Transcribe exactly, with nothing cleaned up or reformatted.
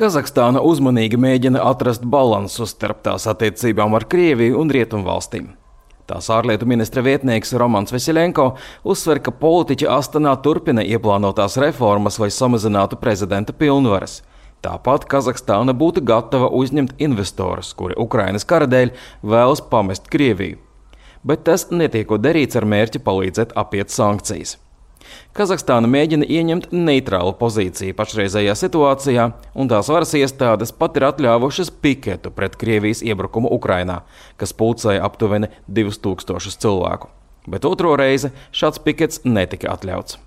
Kazahstāna uzmanīgi mēģina atrast balansu starp tās attiecībām ar Krieviju un Rietumvalstīm. Tās ārlietu ministra vietnieks Romans Veseļenko uzsver, ka politiķi Astanā turpina ieplānotās reformas, lai samazinātu prezidenta pilnvaras. Tāpat Kazahstāna būtu gatava uzņemt investorus, kuri Ukrainas kara dēļ vēlas pamest Krieviju. Bet tas netiekot darīts ar mērķi palīdzēt apiet sankcijas. Kazahstāna mēģina ieņemt neitrālu pozīciju pašreizējā situācijā, un tās varas iestādes pat ir atļāvušas piketu pret Krievijas iebrukumu Ukrainā, kas pulcēja aptuveni divus tūkstošus cilvēku. Bet otro reizi šāds pikets netika atļauts.